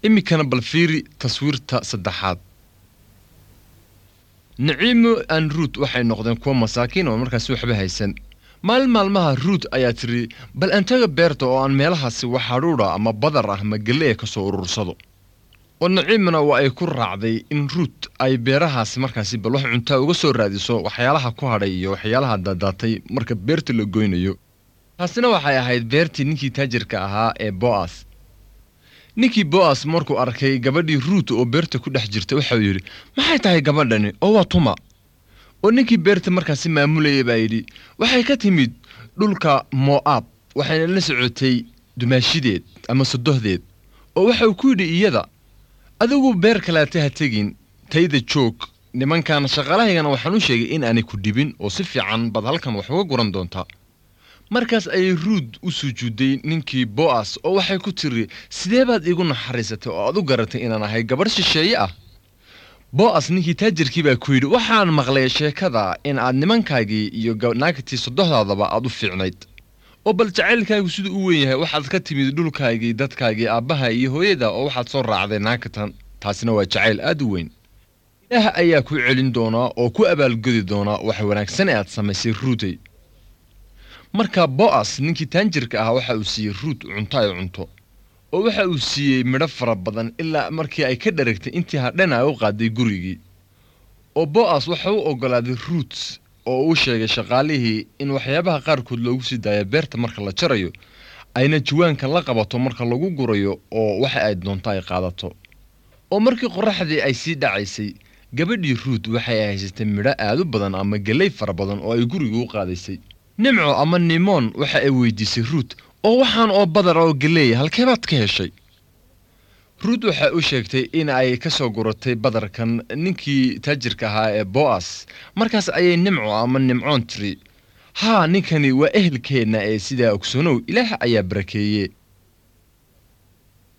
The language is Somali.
Iminkana bal fiiri taswiirta saddexaad. Naciimo aan Ruut waxay noqdeen kuwo masaakiin oo markaasi waxba haysan. Maalin maalmaha Ruut ayaa tiri, bal aan taga beerta oo aan meelahaasi wax hadhuudha ama badar ah ama gelle ka soo urursado. Oo Naciimana waa ay ku raacday in Ruut ay beerahaasi markaasi bal wax cuntaa uga soo raadiso waxyaalaha ku hadhay iyo waxyaalaha daadaatay marka beerta la goynayo. Taasina waxay ahayd beertii ninkii taajirka ahaa ee Bo'as. Ninkii Bo'as markuu arkay gabadhii Ruut oo beerta ku dhex jirta waxa uu yidhi, maxay tahay gabadhani oo waa tuma? Oo ninkii beerta markaasi maamulayay baa yidhi, waxay ka timid dhulka Mo'aab, waxayna la socotay dumaashideed ama sodohdeed. Oo waxa uu ku yidhi iyada, adigu beer kaleete ha tegin, tayda joog, nimankan shaqaalahaygana waxaan u sheegay in aanay ku dhibin oo si fiican baad halkan wax uga guran doontaa. Markaas ayay Ruut u sujuudday ninkii Bo'as oo waxay ku tiri, sidee baad iigu naxariisatay oo aad u garatay inaan ahay gabadh shisheeye ah? Bo'as ninkii taajirkii baa ku yidhi, waxaan maqlay sheekada in aad nimankaagii iyo naagtii sodohdaadaba aad u fiicnayd. Oo bal jacaylkaagu siduu u weyn yahay, waxaad ka timid dhulkaagii, dadkaagii, aabbaha iyo hooyada oo waxaad soo raacday naagtan. Taasina waa jacayl aad u weyn. Ilaah ayaa ku celin doonaa oo ku abaalgudi doonaa wax wanaagsan ee aad samaysay Ruutay. Marka Bo'as ninkii taanjirka ahaa waxa uu siiyey Ruut cunto ay cunto, oo waxa uu siiyey midho fara badan ilaa markii ay ka dharagtay intii hadhana ay u qaaday gurigii. Oo Bo'as waxa uu oggolaaday Ruut oo uu sheegay shaqaalihii in waxyaabaha qaarkood loogu sii daayo beerta marka la jarayo, ayna jawaanka la qabato marka lagu gurayo oo waxa ay doonto ay qaadato. Oo markii qorraxdii ay sii dhacaysay, gabadhii Ruut waxay haysatay midho aad u badan ama galley fara badan oo ay guriga u qaadaysay. Nimco ama Nimoon waxa ay weydiisay Ruut, oo waxaan oo badar oo galeeya halkee baad ka heshay? Ruut waxay u sheegtay in ay ka soo guratay badarkan ninkii taajirka ahaa ee Bo'as. Markaas ayay Nimco ama Nimcoon tiri, haa, ninkani waa ehelkeenna ee sidaa ogsoonow, Ilaah ayaa barakeeye.